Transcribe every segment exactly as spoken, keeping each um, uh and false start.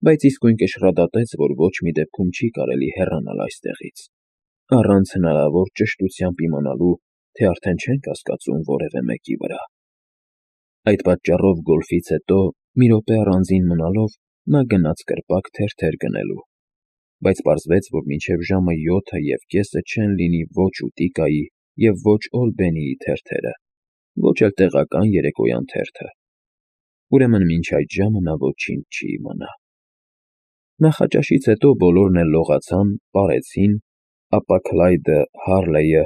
բայց իսկույն կշռադատեց, որ ոչ մի դեպքում չի կարելի հեռանալ այստեղից, առանց հնարավոր ճշտությամբ իմանալու, թե արդեն չեն կասկածում որևէ մեկի վրա։ Այդ պատճառով գոլֆից հետո մի րոպե առանձին մնալով նա գնաց կրպակ թերթեր գնելու, բայց պարզվեց, որ մինչև ժամը յոթը և կեսը չեն լինի ոչ Ուտիկայի և ոչ Օլբենիի թերթերը, ոչ էլ տեղական երեկոյան թերթը, ուրեմն մինչ այդ ժամը նա ոչինչ չի իմանա։ Նախաճաշից հետո բոլորն էլ լողացան, պարեցին, ապա Քլայդը, Հարլեյը,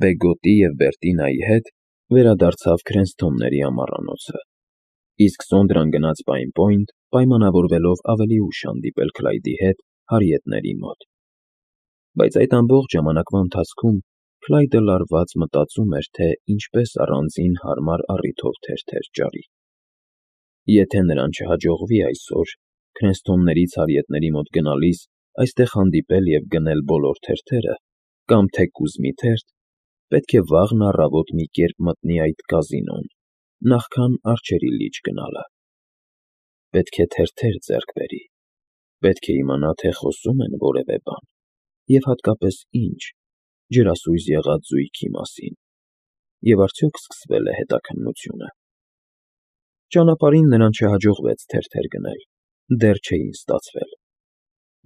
Բեգոտի և Բերտինայի հետ վերադարձավ Քրենսթոնների ամառանոցը, իսկ Սոնդրան գնաց Պայն Պոինտ, պայմանավորվելով ավելի ուշ հանդիպել Քլայդի հետ հարիետների մոտ։ Բայց այդ ամբողջ ժամանակվա ընթացքում Քլայդը լարված մտածում էր, թե ինչպես առանձին հարմար առիթով թերթեր ճարի։ Եթե նրան չհաջողվի այսօր, Քրենսթոններից հարիետների մոտ գնալիս, այստեղ հանդիպել և գնել բոլոր թերթերը, կամ թեկուզ մի թերթ, պետք է վաղն առավոտ մի կերպ մտնի այդ կազինոն, նախքան առջևի լիճ գնալը։ Պետք է թերթեր ձեռք բերի, պետք է իմանա, թե խոսում են որևէ բան, և հատկապես ինչ, ջրասույզ եղած զույգի մասին, և արդյոք սկսվե՞լ է հետաքննությունը։ Ճանապարհին նրան չհաջողվեց թերթեր գնել, դեռ չէին ստացվել,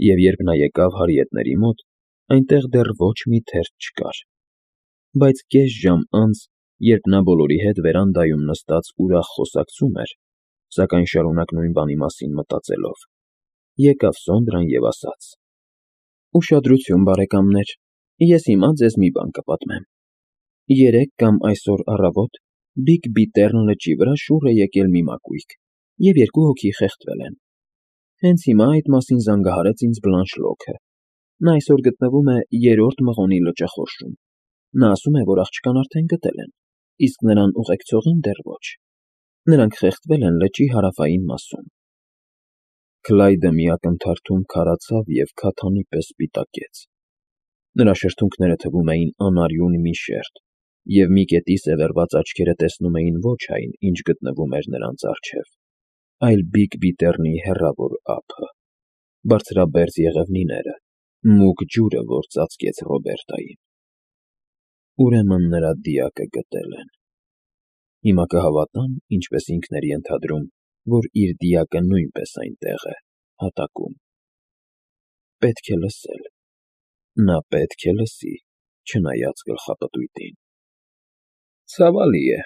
և երբ նա եկավ հարիետների մոտ, այնտեղ դեռ ոչ մի թերթ չկար, բայց կես ժամ անց, երբ նա բոլորի հետ վերանդայում նստած ուրախ խոսակցում էր, սակայն շարունակ նույն բանի մասին մտածելով, եկավ Սոնդրան և ասաց. «Ուշադրություն, բարեկամներ, ես հիմա ձեզ մի բան կպատմեմ։ Երեկ կամ այսօր առավոտ Բիգ լճի վրա շուռ է եկել մի մակույկ, և երկու հոգի խեղդվել են։ Հենց հիմա այդ մասին զանգահարեց ինձ Բլանշլոքը։ Նա այսօր գտնվում է Երրորդ մղոնի լճախորշում։ Նա ասում է, որ աղջկան արդեն գտել են, իսկ նրան ուղեկցողին դեռ ոչ։ Նրանք խեղդվել են լճի հարավային մասում»։ Քլայդը մի ակնթարթում քարացավ և քաթանի պես սպիտակեց։ Նրա շրթունքները թվում էին անարյուն մի շերտ, և մի կետի սևեռված աչքերը տեսնում էին ոչ այն, ինչ գտնվում էր նրանց առջև, այլ Բիգ Բիթեռնի հեռավոր ափը, բարձրաբերձ եղևնիները, մուգ ջուրը, որ ծածկեց Ռոբերտային։ Ուրեմն նրա դիակը գտել են։ Հիմա կհավատա՞ն, ինչպես ինքն էր ենթադրում, որ իր դիակը նույնպես այնտեղ է, հատակում։ Պետք է լսել։ Նա պետք է լսի, չնայած գլխապտույտին։ Ցավալի է,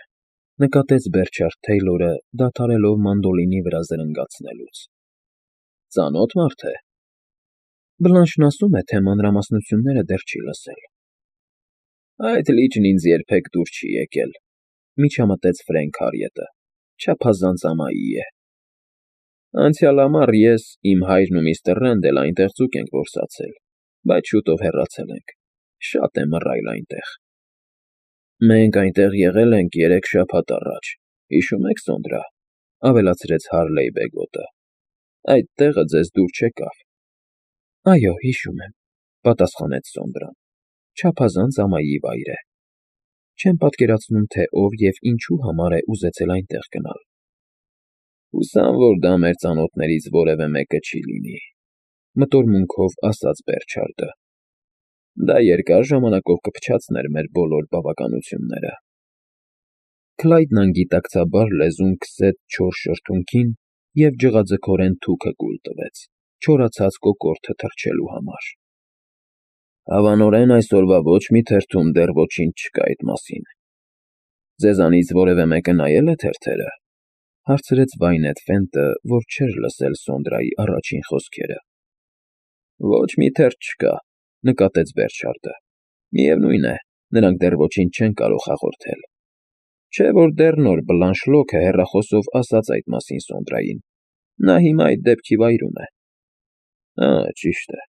նկատեց Բերչարդ Թեյլորը, դադարելով մանդոլինի վրա զրնգացնելուց։ Ծանո՞թ մարդ է։ Բլանշն ասում է, թե մանրամասնությունները դեռ չի լսել։ Այդ լիճն ինձ երբեք դուր չի եկել, միջամտեց Ֆրենք Հարիետը, չափազանց ամայի է։ Անցյալ ամառ ես, իմ հայրն ու միստր Ռենդլը այնտեղ ձուկ ենք որսացել, բայց շուտով հեռացել ենք, շատ է մռայլ այնտեղ։ Մենք այնտեղ եղել ենք երեք շաբաթ առաջ, հիշո՞ւմ եք, Սոնդրա, ավելացրեց Հարլեյ Բեգոտը։ Այդ տեղը ձեզ դուր չեկավ։ Այո, հիշում եմ, պատասխանեց Սոնդրան, չափազանց ամայի վայր է։ Չեմ պատկերացնում, թե ով և ինչու համար է ուզեցել այնտեղ գնալ։ Հուսամ, որ դա մեր ծանոթներից որևէ մեկը չի լինի, մտորմունքով ասաց Բերչարդը։ Դա երկար ժամանակով կփչացներ մեր բոլոր բավականությունները։ Քլայդն անգիտակցաբար լեզուն քսեց չոր շրթունքին և ջղաձգորեն թուքը կուլ տվեց, չորացած կոկորդը թռչելու համար։ Հավանորեն այսօրվա ոչ մի թերթում դեռ ոչինչ չկա այդ մասին։ Ձեզանից որևէ մեկը նայե՞լ է թերթերը, հարցրեց Վայնետ Ֆենտը, որ չէր լսել Սոնդրայի առաջին խոսքերը։ Ոչ մի թերթ չկա, նկատեց Բերչարդը։ Միևնույն է, նրանք դեռ ոչինչ չեն կարող հաղորդել։ Չէ որ դեռ նոր Բլանշլոքը հեռախոսով ասաց այդ մասին Սոնդրային։ Նա հիմա այդ դեպքի վայրում է։ Հա, ճիշտ է։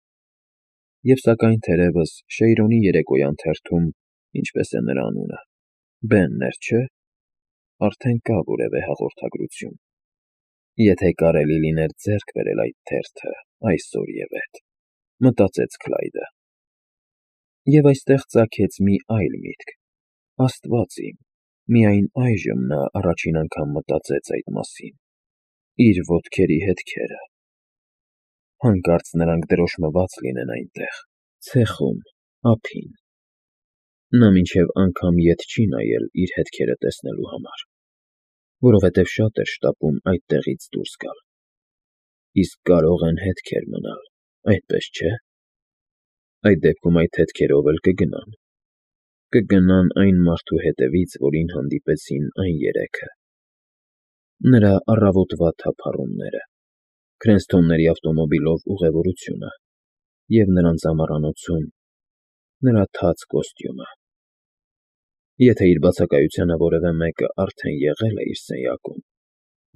Եվ սակայն թերևս Շեյրոնի երեկոյան թերթում, ինչպես է նրա անունը, Բենն էր, չէ՞, արդեն կա որևէ հաղորդագրություն։ Եթե կարելի լիներ ձեռք բերել այդ թերթը այսօրևեթ, մտածեց Քլայդը։ Եվ այստեղ ծագեց մի այլ միտք. Աստված իմ, միայն այժմ նա առաջին անգամ մտածեց այդ մասին։ Իր ոտքերի հետքերը։ Հանկարծ նրանք դրոշմված լինեն այնտեղ, ցեխում, ափին։ Նա մինչև անգամ ետ չի նայել իր հետքերը տեսնելու համար, որովհետև շատ էր շտապում այդտեղից դուրս գալ։ Իսկ կարող են հետքեր մնալ, այդպես չէ՞։ Այդ դեպքում այդ հետքերով էլ կգնան։ Կգնան այն մարդու հետևից, որին հանդիպեցին այն երեքը։ Նրա առավոտվա թափառումները, Քրենսթոնների ավտոմոբիլով ուղևորությունը և նրանց ամառանոցում նրա թաց կոստյումը։ Եթե իր բացակայությանը որևէ մեկը արդեն եղել է իր սենյակում,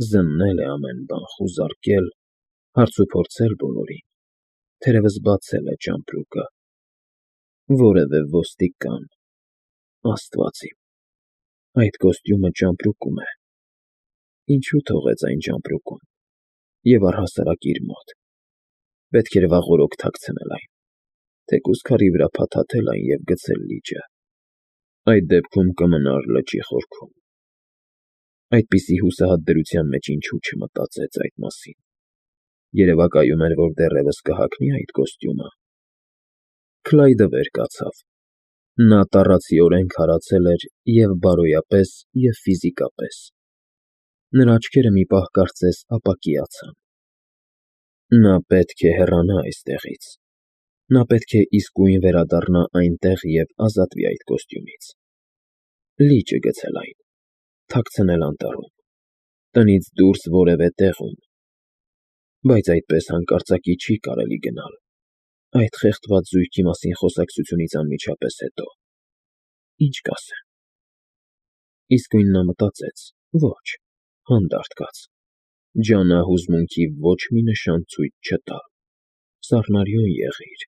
զննել է ամեն բան, խուզարկել, հարցուփորձել բոլորին, թերևս բացել է ճամպրուկը, որևէ ոստիկան… Աստված իմ, այդ կոստյումը ճամպրուկում է… Ինչու թողեց այն ճամպրուկում և առհասարակ իր մոտ… Պետք էր վաղօրոք թաքցնել այն, թեկուզ քարի վրա փաթաթել այն և գցել լիճը… Այդ դեպքում կմնար լճի խորքում… Այդպիսի հուսահատ դրության մեջ ինչու չմտածեց այդ մասին… Երևակայում էր, որ դեռևս կհագնի այդ կոստյումը… Քլայդը վեր կացավ… Նա տառացիորեն քարացել էր և՛ բարոյապես, և՛ ֆիզիկապես… Նրա աչքերը մի պահ կարծես ապակիացան… Նա պետք է հեռանա այստեղից… Նա պետք է իսկույն վերադառնա այնտեղ և ազատվի այդ կոստյումից… Լիճը գցել այն… Թաքցնել անտառում… Տնից դուրս որևէ տեղում… Բայց այդպես հանկարծակի չի կարելի գնալ… Այդ խեղդված զույգի մասին խոսակցությունից անմիջապես հետո… Ի՞նչ կասեն… Իսկույն նա մտածեց. ոչ, հանդարտ կաց… Ջանա հուզմունքի ոչ մի նշան ցույց չտալ… Սառնարյուն եղիր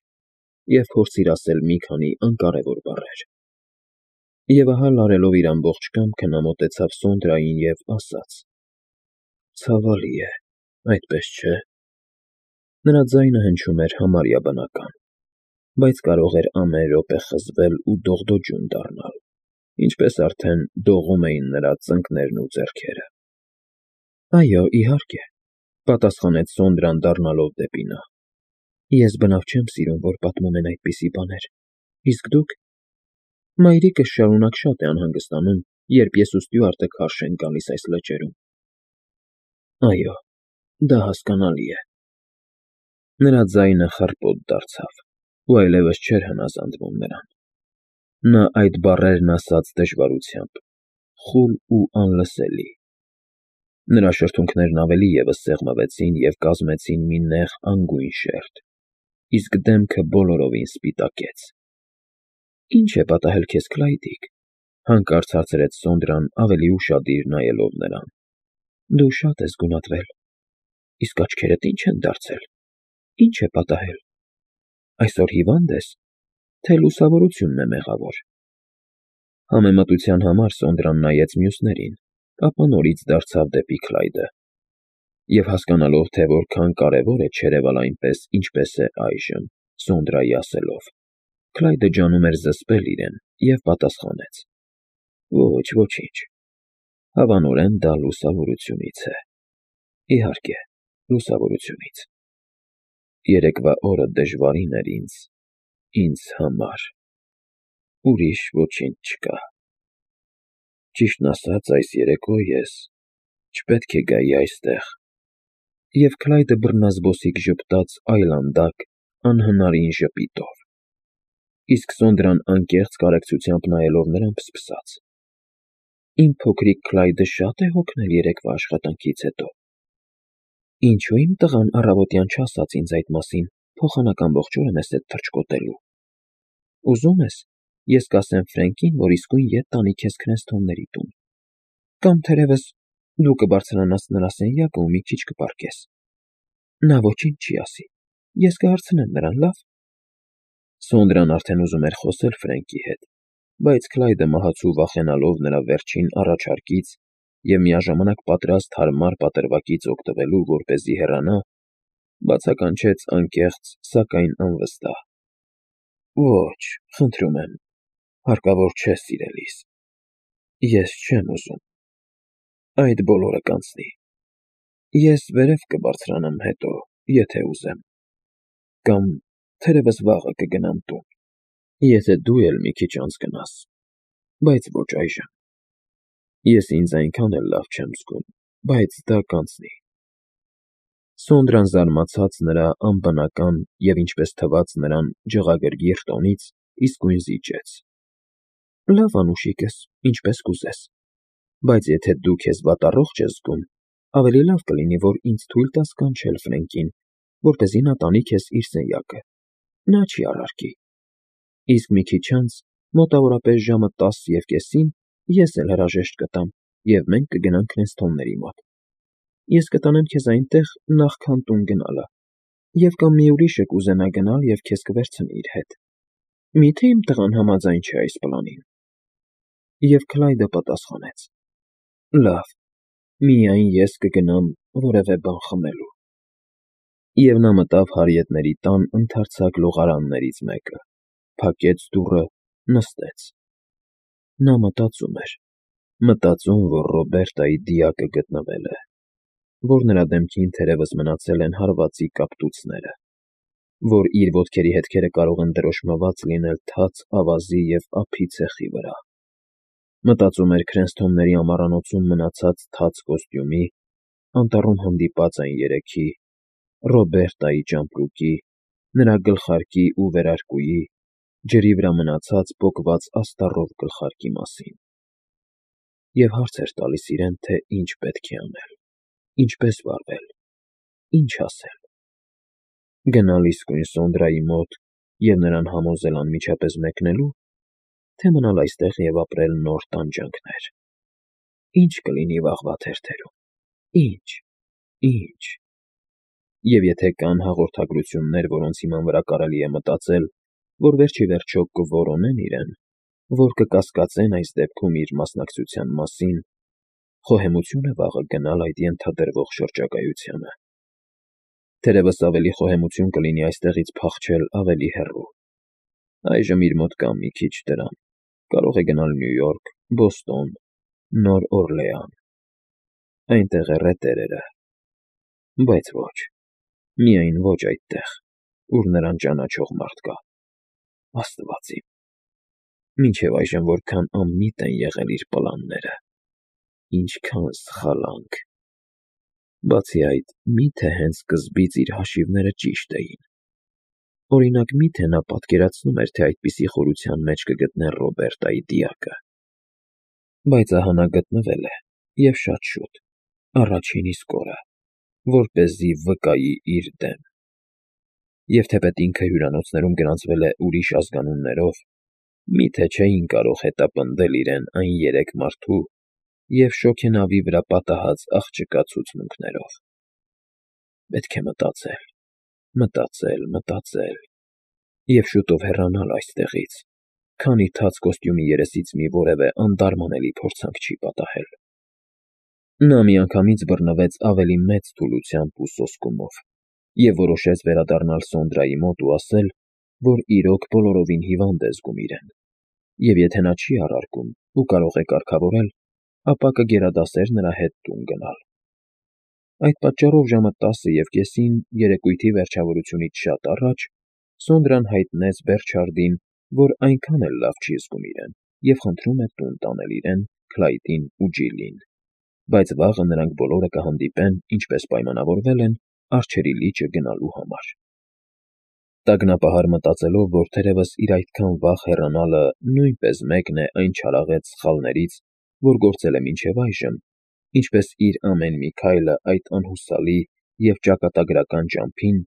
և փորձիր ասել մի քանի անկարևոր բառեր… Եվ ահա լարելով իր ամբողջ կամքը նա մոտեցավ Սոնդրային և ասաց. Ցավալի է, այդպես չէ… Նրա ձայնը հնչում էր համարյա բնական, բայց կարող էր ամեն րոպե խզվել ու դողդոջուն դառնալ, ինչպես արդեն դողում էին նրա ծնկներն ու ձեռքերը։ ֊ Այո, իհարկե, ֊ պատասխանեց Սոնդրան դառնալով դեպի նա։ ֊ Ես բնավ չեմ սիրում, որ պատմում են այդպիսի բաներ, իսկ դուք… Մայրիկս շարունակ շատ է անհանգստանում, երբ ես ու Ստյուարտը քարշ ենք գալիս այս լճերում։ ֊ Այո, դա հասկանալի է… Նրա ձայնը խռպոտ դարձավ ու այլևս չէր հնազանդվում նրան։ Նա այդ բառերն ասաց դժվարությամբ, խուլ ու անլսելի… Նրա շրթունքներն ավելի ևս սեղմվեցին և կազմեցին մի նեղ անգույն շերտ, իսկ դեմքը բոլորովին սպիտակեց։ ֊ Ի՞նչ է պատահել քեզ, Քլայդիկ,֊ հանկարծ հարցրեց Սոնդրան ավելի ուշադիր նայելով նրան։ ֊ Դու շատ ես գունատվել… Իսկ աչքերդ ի՞նչ են դարձել… Ի՞նչ է պատահել… Այսօր հիվա՞նդ ես, թե լուսավորությունն է մեղավոր… Համեմատության համար Սոնդրան նայեց մյուսներին, ապա նորից դարձավ դեպի Քլայդը և, հասկանալով, թե որքան կարևոր է չերևալ այնպես, ինչպես է այժմ, Սոնդրայի ասելով, Քլայդը ջանում էր զսպել իրեն և պատասխանեց. Ոչ, ոչինչ… Հավանորեն դա լուսավորությունից է… Իհարկե, լուսավորությունից… Երեկվա օրը դժվարին էր ինձ… ինձ համար… Ուրիշ ոչինչ չկա… Ճիշտն ասած, այս երեկո ես չպետք է գայի այստեղ… Եվ Քլայդը բռնազբոսիկ ժպտաց այլանդակ, անհնարին ժպիտով… Իսկ Սոնդրան անկեղծ կարեկցությամբ նայելով նրան ֆսֆսաց. Իմ փոքրիկ Քլայդը շա՞տ է հոգնել երեկվա աշխատանքից հետո… Ինչո՞ւ իմ տղան առավոտյան չասաց ինձ այդ մասին, փոխանակ ամբողջ օրը մեզ հետ թռչկոտելու… Ուզում ես, ես կասեմ Ֆրենկին, որ իսկույն ետ տանի քեզ Քրենսթոնների տուն… Կամ, թերևս, դու կբարձրանաս նրա սենյակը ու մի քիչ կպառկես… Նա ոչինչ չի ասի, ես կհարցնեմ նրան, լավ… Սոնդրան արդեն ուզում էր խոսել Ֆրենկի հետ, բայց Քլայդը մահացու վախենալով նրա վերջին առաջարկից և միաժամանակ պատրաստ հարմար պատրվակից օգտվելու, որպեսզի հեռանա, բացականչեց անկեղծ, սակայն անվստահ. Ոչ, խնդրում եմ, հարկավոր չէ, սիրելիս… Ես չեմ ուզում… Այդ բոլորը կանցնի… Ես վերև կբարձրանամ հետո, եթե ուզեմ… Կամ թերևս վաղը կգնամ տուն, եթե դու էլ մի քիչ անց գնաս, բայց ոչ այժմ։ Ես ինձ այնքան էլ լավ չեմ զգում, բայց դա կանցնի։ Սոնդրան զարմացած նրա անբնական և, ինչպես թվաց նրան, ջղագրգիռ տոնից, իսկույն զիջեց. Լավ, անուշիկս, ինչպես կուզես, բայց եթե դու քեզ վատառողջ ես զգում, ավելի լավ կլինի, որ ինձ թույլ տաս կանչել Ֆրենկին, որպեսզի նա տանի քեզ իր սենյակը, նա չի առարկի։ Իսկ մի քիչ անց, մոտավորապես ժամը տասը և կեսին, ես էլ հրաժեշտ կտամ, և մենք կգնանք Քրենսթոնների մոտ։ Ես կտանեմ քեզ այնտեղ, նախքան տուն գնալը, և կամ մի ուրիշը կուզենա գնալ և քեզ կվերցնի իր հետ։ Մի՞թե իմ տղան համաձայն չէ այս պլանին։ Եվ Քլայդը պատասխանեց. Լավ, միայն ես կգնամ որևէ բան խմելու։ Եվ նա մտավ հարիետների տան ընդարձակ լողարաններից մեկը, փակեց դուռը, նստեց։ Նա մտածում էր, մտածում, որ Ռոբերտայի դիակը գտնվել է, որ նրա դեմքին թերևս մնացել են հարվածի կապտուцները, որ իր ոտքերի հետքերը կարող են դրոշմված լինել թաց ավազի և ափի ցեխի վրա։ Մտածում էր Քրենսթոնների ամառանոցում մնացած թաց կոստյումի, անտառում հանդիպած այն երեքի, Ռոբերտայի ճամպրուկի, նրա գլխարկի ու վերարկուի, ջրի վրա մնացած պոկված աստառով գլխարկի մասին։ Եվ հարց էր տալիս իրեն, թե ինչ պետք է անել, ինչպես վարվել, ինչ ասել։ Գնալ իսկույն Սոնդրայի մոտ և նրան համոզել անմիջապես մեկնելու, թե մնալ այստեղ և ապրել նոր տանջանքներ։ Ի՞նչ կլինի վաղվա թերթերում, ի՞նչ, ի՞նչ։ Եվ եթե կան հաղորդագրություններ, որոնց հիման վրա կարելի է մտածել, որ վերջիվերջո կորոնեն իրեն, որ կկասկածեն այս դեպքում իր մասնակցության մասին, խոհեմություն է վաղը գնալ այդ ենթադրվող շրջագայությանը։ Թերևս ավելի խոհեմություն կլինի այստեղից փախչել ավելի հեռու։ Այժմ իր մոտ կա մի քիչ դրամ, կարող է գնալ Նյու Յորք, Բոստոն, Նոր Օրլեան։ Այնտեղ է ռետերերը։ Բայց ոչ, միայն ոչ այդտեղ, ուր նրան ճանաչող մարդ կա։ Աստված իմ, մինչև այժմ որքան անմիտ են եղել իր պլանները, ինչքան սխալանք։ Բացի այդ, մի՞թե հենց սկզբից իր հաշիվները ճիշտ էին։ Օրինակ, մի՞թե նա պատկերացնում էր, թե այդպիսի խորության մեջ կգտնեն Ռոբերտայի դիակը։ Բայց ահա նա գտնվել է, և շատ շուտ, առաջին իսկ օրը, որպեսզի վկայի իր դեմ։ Եվ թեպետ ինքը հյուրանոցներում գրանցվել է ուրիշ ազգանուններով, մի՞թե չէին կարող հետապնդել իրեն այն երեք մարդու և շոգենավի վրա պատահած աղջկա ցուցմունքներով։ Պետք է մտածել, մտածել, մտածել և շուտով հեռանալ այստեղից, քանի թաց կոստյումի երեսից մի որևէ անտարմանելի փորձանք չի պատահել։ Նա միանգամից բռնվեց ավելի մեծ թուլությամբ ու սոսկումով և որոշեց վերադառնալ Սոնդրայի մոտ ու ասել, որ իրոք բոլորովին հիվանդ է զգում իրեն, և եթե նա չի առարկում ու կարող է կարգավորել, ապա կգերադասեր նրա հետ տուն գնալ։ Այդ պատճառով ժամը տասը և կեսին, երեկույթի վերջավորությունից շատ առաջ, Սոնդրան հայտնեց Բերչարդին, որ այնքան էլ լավ չի զգում իրեն և խնդրում է տուն տանել իրեն, Քլայդին ու Ջիլին, բայց վաղը նրանք բոլորը կհանդիպեն, ինչպես պայմանավորվել են, առջևի լիճը գնալու համար։ Տագնապահար մտածելով, որ թերևս իր այդքան վաղ հեռանալը նույնպես մեկն է այն չարաղետ սխալներից, որ գործել է մինչև այժմ, ինչպես իր ամեն մի քայլը այդ անհուսալի և ճակատագրական ճամփին,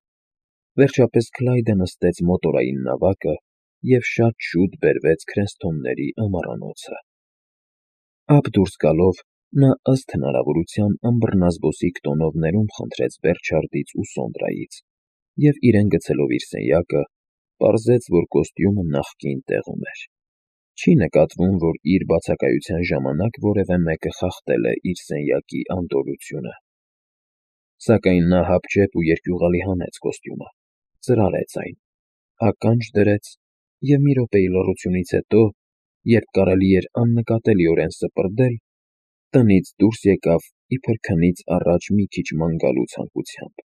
վերջապես Քլայդը նստեց մոտորային նավակը և շատ շուտ բերվեց Քրենսթոնների ամառանոցը։ Ափ դուրս գալով, նա ըստ հնարավորության անբռնազբոսիկ տոնով ներումն խնդրեց Բերչարդից ու Սոնդրայից և իրեն գցելով իր սենյակը, պարզեց, որ կոստյումը նախկին տեղում էր։ Չի նկատվում, որ իր բացակայության ժամանակ որևէ մեկը խախտել է իր սենյակի անդորրությունը։ Սակայն նա հապճեպ ու երկյուղալի հանեց կոստյումը, ծրարեց այն, ականջ դրեց և մի րոպեի լռությունից հետո, երբ կարելի էր աննկատելիորեն սպրդել, տնից դուրս եկավ իբր քնից առաջ մի քիչ ման գալու ցանկությամբ։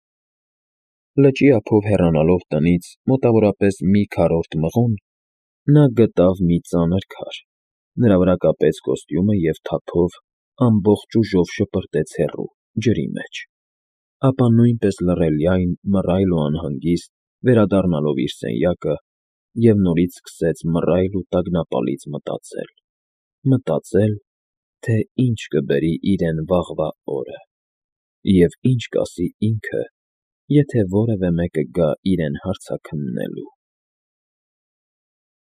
Լճի ափով հեռանալով տնից մոտավորապես մի քառորդ մղոն, նա գտավ մի ծանր քար, նրա վրա կապեց կոստյումը և թափով ամբողջ ուժով շպրտեց հեռու, ջրի մեջ, ապա նույնպես լռելյայն, մռայլ ու անհանգիստ վերադառնալով իր սենյակը և նորից սկսեց մռայլ ու տագնապալից մտածել, մտածել, թե ինչ կբերի իրեն վաղվա օրը և ինչ կասի ինքը, եթե որևէ մեկը գա իրեն հարցաքննելու։